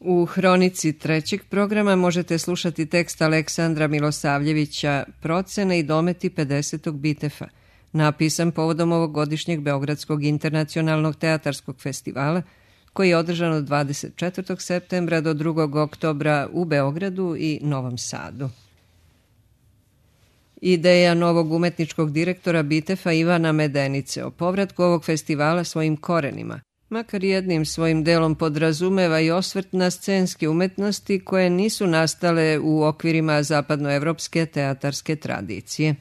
U hronici trećeg programa možete slušati tekst Aleksandra Milosavljevića Procene i dometi 50. Bitefa, napisan povodom ovogodišnjeg Beogradskog internacionalnog teatarskog festivala, koji je održan od 24. septembra do 2. oktobra u Beogradu i Novom Sadu. Ideja novog umetničkog direktora Bitefa Ivana Medenice o povratku ovog festivala svojim korenima, makar jednim svojim delom podrazumeva i osvrt na scenske umetnosti koje nisu nastale u okvirima zapadnoevropske teatarske tradicije.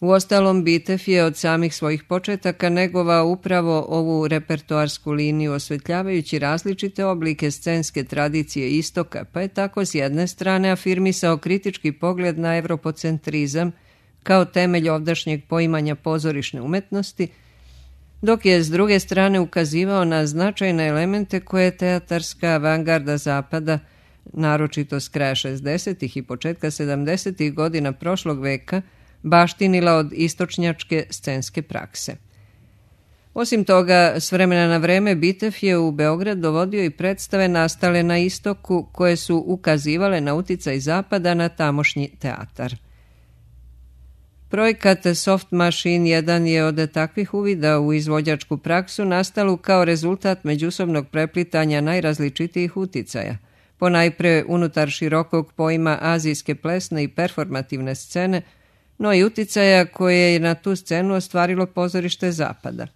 Uostalom, Bitef je od samih svojih početaka negovao upravo ovu repertoarsku liniju, osvetljavajući različite oblike scenske tradicije istoka, pa je tako s jedne strane afirmisao kritički pogled na evropocentrizam kao temelj ovdašnjeg poimanja pozorišne umetnosti, dok je s druge strane ukazivao na značajne elemente koje je teatarska avangarda Zapada, naročito s kraja 60. i početka 70. godina prošlog veka, baštinila od istočnjačke scenske prakse. Osim toga, s vremena na vreme Bitef je u Beograd dovodio i predstave nastale na istoku koje su ukazivale na uticaj Zapada na tamošnji teatar. Projekat Soft Machine jedan je od takvih uvida u izvođačku praksu nastalu kao rezultat međusobnog preplitanja najrazličitijih uticaja, ponajpre unutar širokog pojma azijske plesne i performativne scene, no i uticaja koje je na tu scenu ostvarilo pozorište Zapada.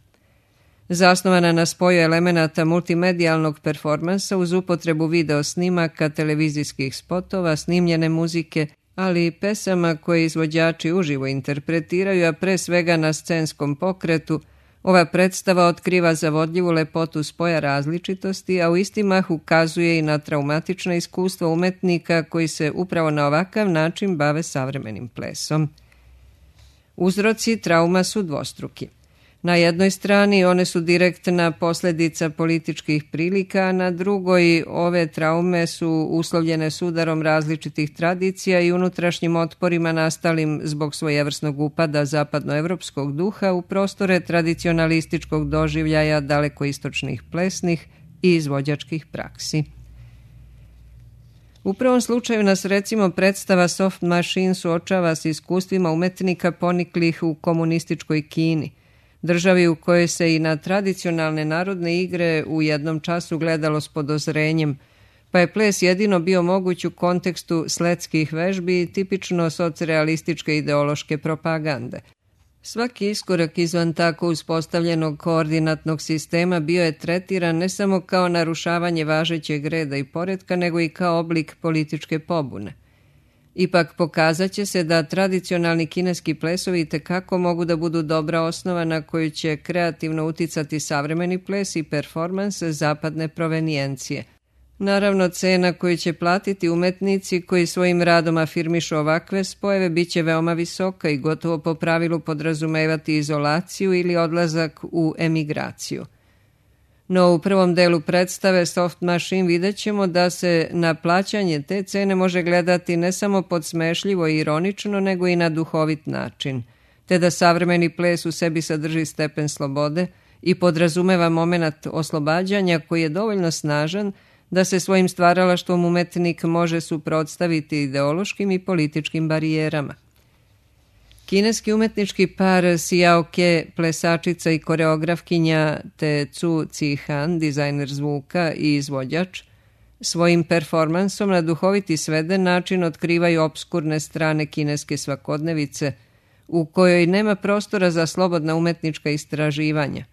Zasnovana na spoju elemenata multimedijalnog performansa uz upotrebu video snimaka, televizijskih spotova, snimljene muzike, ali i pesama koje izvođači uživo interpretiraju, a pre svega na scenskom pokretu, ova predstava otkriva zavodljivu lepotu spoja različitosti, a u isti mah ukazuje i na traumatično iskustvo umetnika koji se upravo na ovakav način bave savremenim plesom. Uzroci trauma su dvostruki. Na jednoj strani one su direktna posljedica političkih prilika, a na drugoj ove traume su uslovljene sudarom različitih tradicija i unutrašnjim otporima nastalim zbog svojevrsnog upada zapadnoevropskog duha u prostore tradicionalističkog doživljaja dalekoistočnih plesnih i izvođačkih praksi. U prvom slučaju nas recimo predstava Soft Machine suočava s iskustvima umetnika poniklih u komunističkoj Kini, državi u kojoj se i na tradicionalne narodne igre u jednom času gledalo s podozrenjem, pa je ples jedino bio moguć u kontekstu sletskih vežbi i tipično socrealističke ideološke propagande. Svaki iskorak izvan tako uspostavljenog koordinatnog sistema bio je tretiran ne samo kao narušavanje važećeg reda i poretka, nego i kao oblik političke pobune. Ipak pokazat će se da tradicionalni kineski plesovi tekako mogu da budu dobra osnova na koju će kreativno uticati savremeni ples i performans zapadne provenijencije. Naravno, cena koju će platiti umetnici koji svojim radom afirmišu ovakve spojeve bit će veoma visoka i gotovo po pravilu podrazumevati izolaciju ili odlazak u emigraciju. No u prvom delu predstave Soft Machine vidjet ćemo da se na plaćanje te cene može gledati ne samo podsmešljivo i ironično, nego i na duhovit način, te da savremeni ples u sebi sadrži stepen slobode i podrazumeva momenat oslobađanja koji je dovoljno snažan da se svojim stvaralaštvom umetnik može suprotstaviti ideološkim i političkim barijerama. Kineski umetnički par Xiao Ke, plesačica i koreografkinja, te Cu Cihan, dizajner zvuka i izvođač, svojim performansom na duhoviti sveden način otkrivaju obskurne strane kineske svakodnevice, u kojoj nema prostora za slobodna umetnička istraživanja,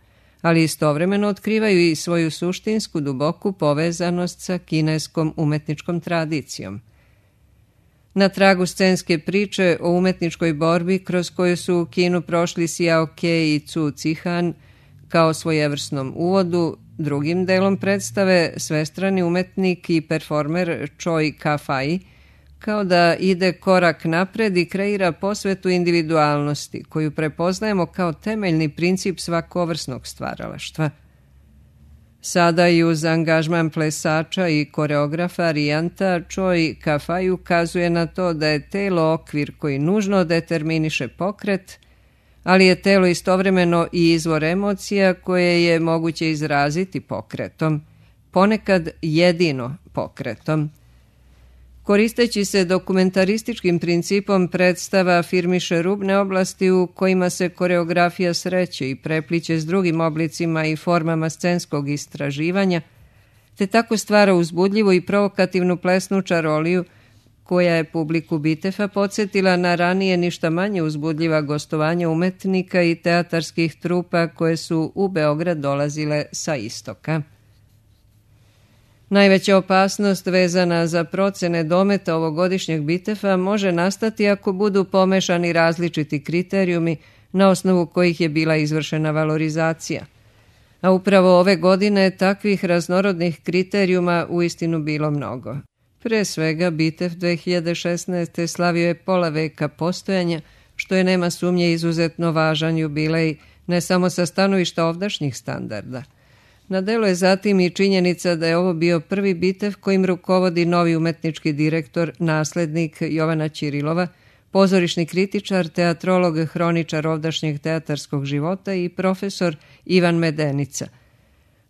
ali istovremeno otkrivaju i svoju suštinsku duboku povezanost sa kineskom umetničkom tradicijom. Na tragu scenske priče o umetničkoj borbi kroz koju su u kinu prošli Xiao Ke i Cu Cihan kao svojevrsnom uvodu, drugim delom predstave svestrani umetnik i performer Choi Ka-fai kao da ide korak napred i kreira posvetu individualnosti koju prepoznajemo kao temeljni princip svakovrsnog stvaralaštva. Sada i uz angažman plesača i koreografa Rijanta, Choi Ka-fai ukazuje na to da je telo okvir koji nužno determiniše pokret, ali je telo istovremeno i izvor emocija koje je moguće izraziti pokretom, ponekad jedino pokretom. Koristeći se dokumentarističkim principom, predstava afirmiše rubne oblasti u kojima se koreografija sreće i prepliće s drugim oblicima i formama scenskog istraživanja, te tako stvara uzbudljivu i provokativnu plesnu čaroliju koja je publiku Bitefa podsjetila na ranije ništa manje uzbudljiva gostovanja umetnika i teatarskih trupa koje su u Beograd dolazile sa istoka. Najveća opasnost vezana za procene dometa ovogodišnjeg Bitefa može nastati ako budu pomešani različiti kriterijumi na osnovu kojih je bila izvršena valorizacija. A upravo ove godine takvih raznorodnih kriterijuma uistinu bilo mnogo. Pre svega, Bitef 2016. slavio je pola veka postojanja, što je nema sumnje izuzetno važan jubilej, ne samo sa stanovišta ovdašnjih standarda. Na delu je zatim i činjenica da je ovo bio prvi Bitef kojim rukovodi novi umetnički direktor, naslednik Jovana Ćirilova, pozorišni kritičar, teatrolog, hroničar ovdašnjeg teatarskog života i profesor Ivan Medenica.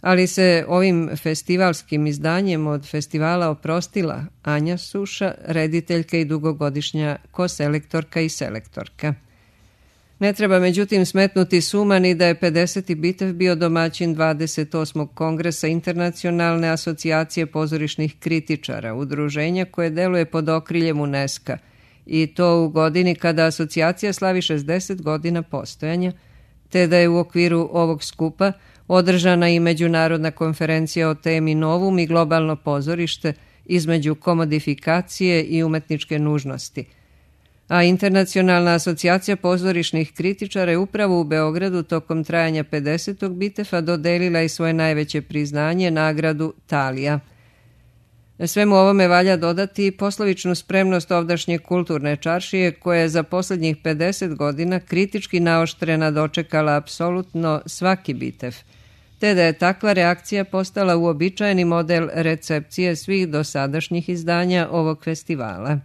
Ali se ovim festivalskim izdanjem od festivala oprostila Anja Suša, rediteljka i dugogodišnja koselektorka i selektorka. Ne treba međutim smetnuti suma ni da je 50. Bitev bio domaćin 28. kongresa Internacionalne asocijacije pozorišnih kritičara, udruženja koje deluje pod okriljem UNESCO, i to u godini kada asocijacija slavi 60 godina postojanja, te da je u okviru ovog skupa održana i međunarodna konferencija o temi Novum i globalno pozorište između komodifikacije i umetničke nužnosti. A Internacionalna asocijacija pozorišnih kritičara je upravo u Beogradu tokom trajanja 50. Bitefa dodelila i svoje najveće priznanje, nagradu Talija. Svemu ovome valja dodati i poslovičnu spremnost ovdašnje kulturne čaršije koja je za posljednjih 50 godina kritički naoštrena dočekala apsolutno svaki Bitef, te da je takva reakcija postala uobičajeni model recepcije svih dosadašnjih izdanja ovog festivala.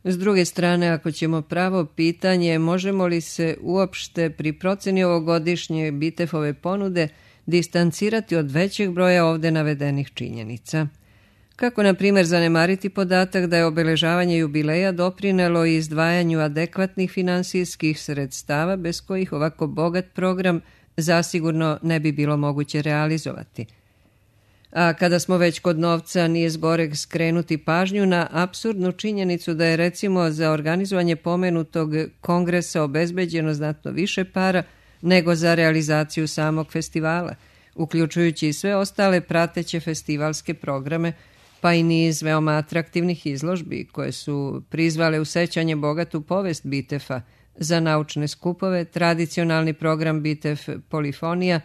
S druge strane, ako ćemo pravo pitanje, možemo li se uopšte pri proceni ovogodišnje Bitefove ponude distancirati od većeg broja ovde navedenih činjenica? Kako, na primjer, zanemariti podatak da je obeležavanje jubileja doprinelo i izdvajanju adekvatnih finansijskih sredstava bez kojih ovako bogat program zasigurno ne bi bilo moguće realizovati. A kada smo već kod novca, nije zgoreg skrenuti pažnju na apsurdnu činjenicu da je recimo za organizovanje pomenutog kongresa obezbeđeno znatno više para nego za realizaciju samog festivala, uključujući i sve ostale prateće festivalske programe, pa i niz veoma atraktivnih izložbi koje su prizvale u sećanje bogatu povest Bitefa, za naučne skupove, tradicionalni program Bitef Polifonija,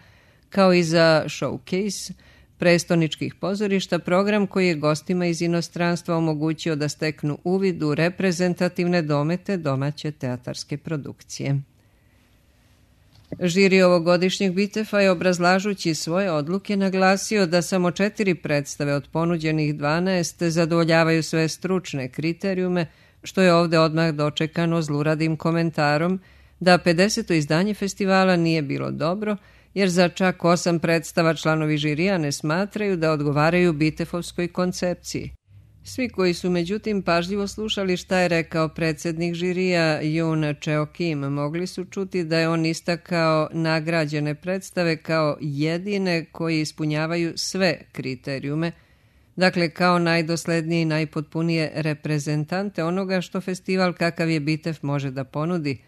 kao i za showcase prestoničkih pozorišta, program koji je gostima iz inostranstva omogućio da steknu uvid u reprezentativne domete domaće teatarske produkcije. Žiri ovogodišnjeg Bitefa je, obrazlažući svoje odluke, naglasio da samo 4 predstave od ponuđenih 12 zadovoljavaju sve stručne kriterijume, što je ovde odmah dočekano zluradim komentarom da 50. izdanje festivala nije bilo dobro, jer za čak 8 predstava članovi žirija ne smatraju da odgovaraju Bitefovskoj koncepciji. Svi koji su međutim pažljivo slušali šta je rekao predsjednik žirija Jun Cheo Kim, mogli su čuti da je on istakao nagrađene predstave kao jedine koji ispunjavaju sve kriterijume, dakle kao najdoslednije i najpotpunije reprezentante onoga što festival kakav je Bitef može da ponudi,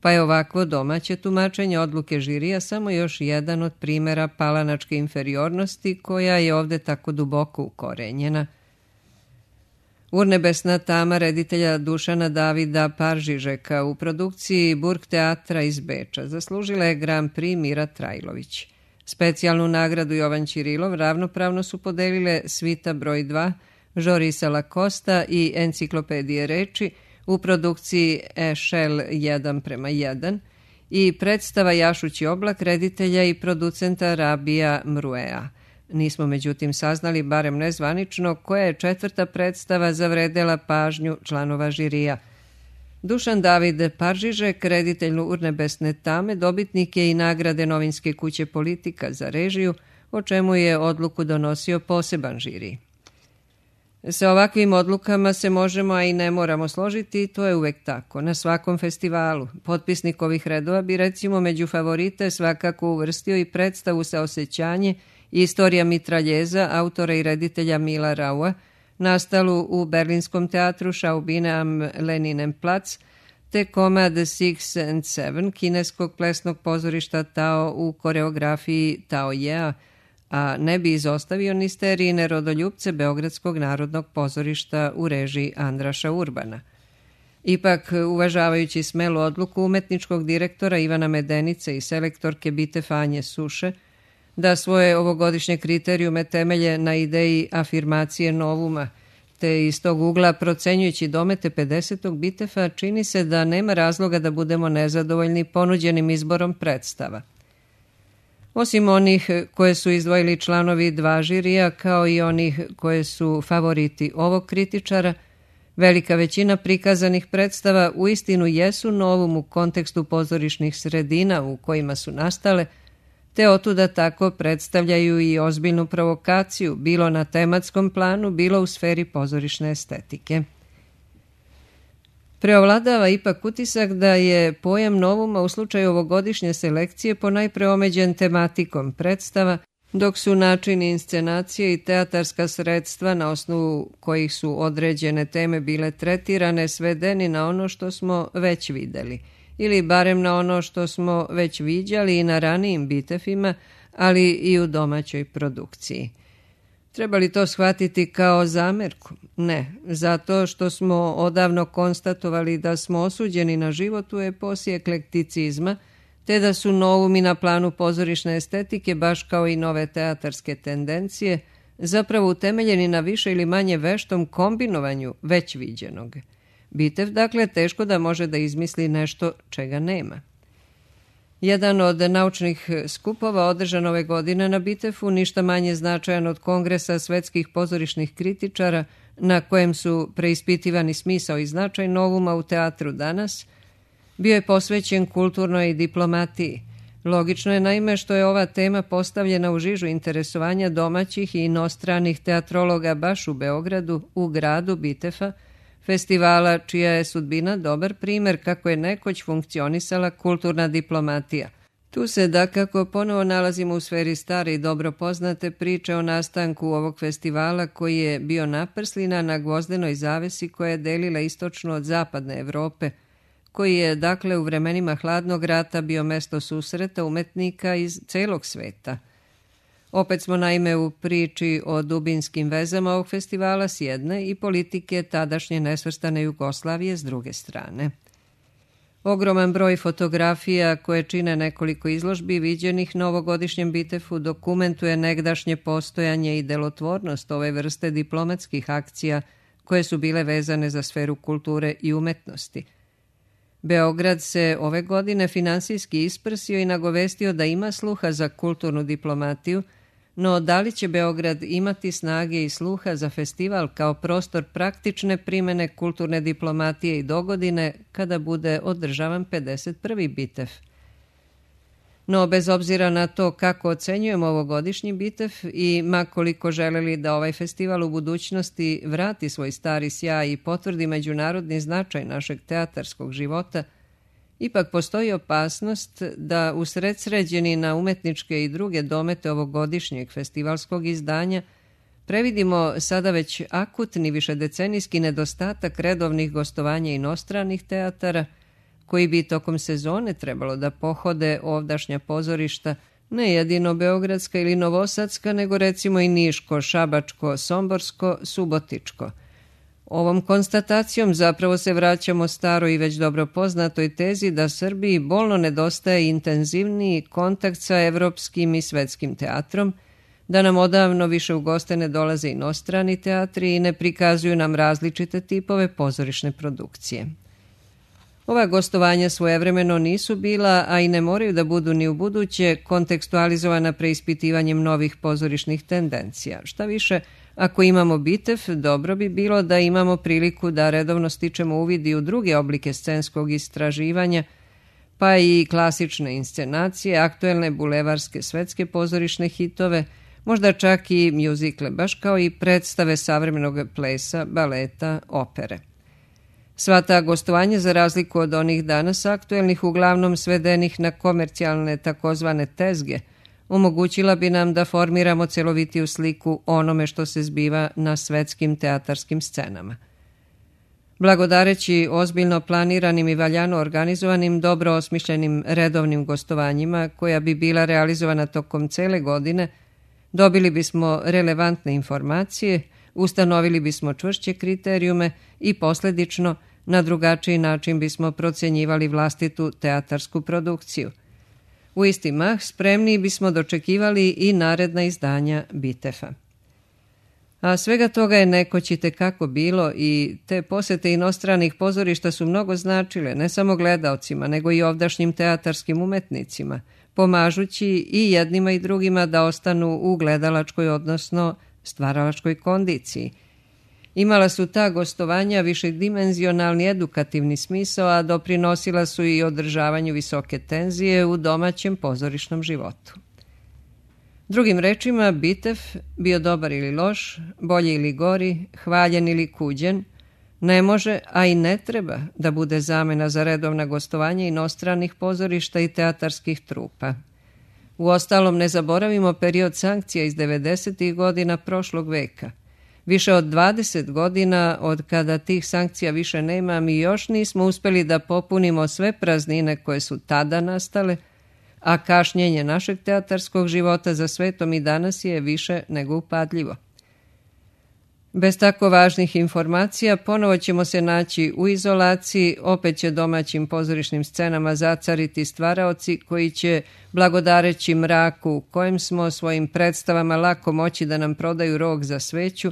pa je ovakvo domaće tumačenje odluke žirija samo još jedan od primjera palanačke inferiornosti koja je ovde tako duboko ukorenjena. Urnebesna tama reditelja Dušana Davida Paržižeka u produkciji Burgteatra iz Beča zaslužila je Grand Prix Mira Trajlović. Specijalnu nagradu Jovan Ćirilov ravnopravno su podelile Svita broj 2, Žorisa Lakosta i Enciklopedije reči u produkciji Ešel 1:1 i predstava Jašući oblak reditelja i producenta Rabija Mruea. Nismo međutim saznali, barem nezvanično, koja je 4. predstava zavredela pažnju članova žirija. Dušan David Paržižek, reditelj Urnebesne tame, dobitnik je i nagrade novinske kuće Politika za režiju, o čemu je odluku donosio poseban žiri. Sa ovakvim odlukama se možemo, a i ne moramo složiti, i to je uvek tako. Na svakom festivalu potpisnik ovih redova bi recimo među favorite svakako uvrstio i predstavu Saosećanje i Istorija mitraljeza autora i reditelja Mila Raua, nastalu u berlinskom teatru Schaubine am Leninenplatz, te komad Six and Seven kineskog plesnog pozorišta Tao u koreografiji Tao Jea, a ne bi izostavio ni sterijine Rodoljupce Beogradskog narodnog pozorišta u režiji Andraša Urbana. Ipak, uvažavajući smelu odluku umetničkog direktora Ivana Medenice i selektorke Bite Fanje Suše, da svoje ovogodišnje kriterijume temelje na ideji afirmacije novuma, te iz tog ugla procenjujući domete 50. Bitefa, čini se da nema razloga da budemo nezadovoljni ponuđenim izborom predstava. Osim onih koje su izdvojili članovi dva žirija, kao i onih koje su favoriti ovog kritičara, velika većina prikazanih predstava uistinu jesu novum u kontekstu pozorišnih sredina u kojima su nastale, te otuda tako predstavljaju i ozbiljnu provokaciju, bilo na tematskom planu, bilo u sferi pozorišne estetike. Preovladava ipak utisak da je pojam novuma u slučaju ovogodišnje selekcije ponajpre omeđen tematikom predstava, dok su načini inscenacije i teatarska sredstva na osnovu kojih su određene teme bile tretirane svedeni na ono što smo već videli, ili barem na ono što smo već viđali i na ranijim bitefima, ali i u domaćoj produkciji. Treba li to shvatiti kao zamerku? Ne, zato što smo odavno konstatovali da smo osuđeni na život u eposi eklekticizma, te da su novumi na planu pozorišne estetike, baš kao i nove teatarske tendencije, zapravo utemeljeni na više ili manje veštom kombinovanju već viđenog. Bitev, dakle, teško da može da izmisli nešto čega nema. Jedan od naučnih skupova održan ove godine na Bitefu, ništa manje značajan od Kongresa svetskih pozorišnih kritičara, na kojem su preispitivani smisao i značaj novuma u teatru danas, bio je posvećen kulturnoj diplomatiji. Logično je naime što je ova tema postavljena u žižu interesovanja domaćih i inostranih teatrologa baš u Beogradu, u gradu Bitefa, festivala čija je sudbina dobar primer kako je nekoć funkcionisala kulturna diplomatija. Tu se dakako ponovo nalazimo u sferi stare i dobro poznate priče o nastanku ovog festivala koji je bio naprslina na gvozdenoj zavesi koja je delila istočnu od zapadne Evrope, koji je dakle u vremenima hladnog rata bio mesto susreta umetnika iz celog sveta. Opet smo naime u priči o dubinskim vezama ovog festivala s jedne i politike tadašnje nesvrstane Jugoslavije s druge strane. Ogroman broj fotografija koje čine nekoliko izložbi viđenih na ovogodišnjem Bitefu dokumentuje negdašnje postojanje i delotvornost ove vrste diplomatskih akcija koje su bile vezane za sferu kulture i umetnosti. Beograd se ove godine finansijski isprsio i nagovestio da ima sluha za kulturnu diplomatiju, no da li će Beograd imati snage i sluha za festival kao prostor praktične primene kulturne diplomatije i dogodine kada bude održavan 51. Bitef? No, bez obzira na to kako ocenjujemo ovogodišnji Bitef i makoliko želeli da ovaj festival u budućnosti vrati svoj stari sjaj i potvrdi međunarodni značaj našeg teatarskog života, ipak postoji opasnost da usredsređeni na umetničke i druge domete ovogodišnjeg festivalskog izdanja previdimo sada već akutni višedecenijski nedostatak redovnih gostovanja inostranih teatara, koji bi tokom sezone trebalo da pohode ovdašnja pozorišta, ne jedino beogradska ili novosadska, nego recimo i niško, šabačko, somborsko, subotičko. Ovom konstatacijom zapravo se vraćamo staroj i već dobro poznatoj tezi da Srbiji bolno nedostaje intenzivniji kontakt sa evropskim i svetskim teatrom, da nam odavno više u goste ne dolaze inostrani teatri i ne prikazuju nam različite tipove pozorišne produkcije. Ova gostovanja svojevremeno nisu bila, a i ne moraju da budu ni u buduće, kontekstualizovana preispitivanjem novih pozorišnih tendencija. Šta više, ako imamo Bitef, dobro bi bilo da imamo priliku da redovno stičemo uvid i u druge oblike scenskog istraživanja, pa i klasične inscenacije, aktuelne bulevarske svetske pozorišne hitove, možda čak i mjuzikle, baš kao i predstave savremenog plesa, baleta, opere. Sva ta gostovanja, za razliku od onih danas aktuelnih, uglavnom svedenih na komercijalne takozvane tezge, omogućila bi nam da formiramo celovitiju sliku onome što se zbiva na svetskim teatarskim scenama. Blagodareći ozbiljno planiranim i valjano organizovanim, dobro osmišljenim redovnim gostovanjima, koja bi bila realizovana tokom cele godine, dobili bismo relevantne informacije, ustanovili bismo čvršće kriterijume i posljedično na drugačiji način bismo procjenjivali vlastitu teatarsku produkciju. U isti mah spremniji bismo dočekivali i naredna izdanja Bitefa. A svega toga je nekoć i tekako bilo i te posete inostranih pozorišta su mnogo značile ne samo gledaocima, nego i ovdašnjim teatarskim umetnicima, pomažući i jednima i drugima da ostanu u gledalačkoj, odnosno stvaralačkoj kondiciji. Imala su ta gostovanja višedimenzionalni edukativni smisao, a doprinosila su i održavanju visoke tenzije u domaćem pozorišnom životu. Drugim rečima, Bitef, bio dobar ili loš, bolji ili gori, hvaljen ili kuđen, ne može, a i ne treba da bude zamena za redovna gostovanja inostranih pozorišta i teatarskih trupa. Uostalom, ne zaboravimo period sankcija iz 90. godina prošlog veka. Više od 20 godina od kada tih sankcija više nema, mi još nismo uspjeli da popunimo sve praznine koje su tada nastale, a kašnjenje našeg teatarskog života za svetom i danas je više nego upadljivo. Bez tako važnih informacija ponovo ćemo se naći u izolaciji, opet će domaćim pozorišnim scenama zacariti stvaraoci koji će, blagodareći mraku u kojem smo svojim predstavama lako moći da nam prodaju rog za sveću,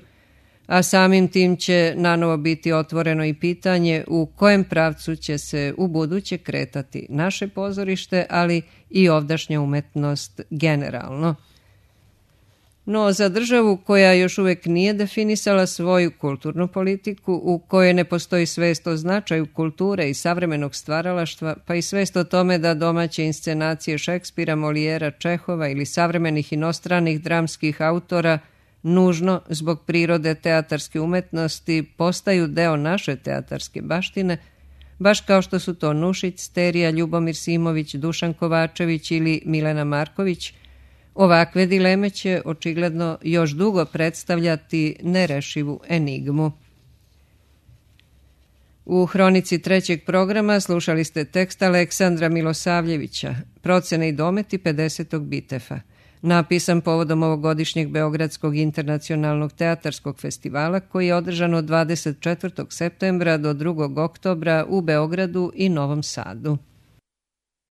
a samim tim će nanovo biti otvoreno i pitanje u kojem pravcu će se u buduće kretati naše pozorište, ali i ovdašnja umetnost generalno. No, za državu koja još uvijek nije definisala svoju kulturnu politiku, u kojoj ne postoji svest o značaju kulture i savremenog stvaralaštva, pa i svest o tome da domaće inscenacije Šekspira, Molijera, Čehova ili savremenih inostranih dramskih autora nužno zbog prirode teatarske umetnosti postaju deo naše teatarske baštine, baš kao što su to Nušić, Sterija, Ljubomir Simović, Dušan Kovačević ili Milena Marković, ovakve dileme će očigledno još dugo predstavljati nerešivu enigmu. U hronici trećeg programa slušali ste tekst Aleksandra Milosavljevića, Procene i dometi 50. Bitefa, napisan povodom ovogodišnjeg Beogradskog internacionalnog teatarskog festivala koji je održan od 24. septembra do 2. oktobra u Beogradu i Novom Sadu.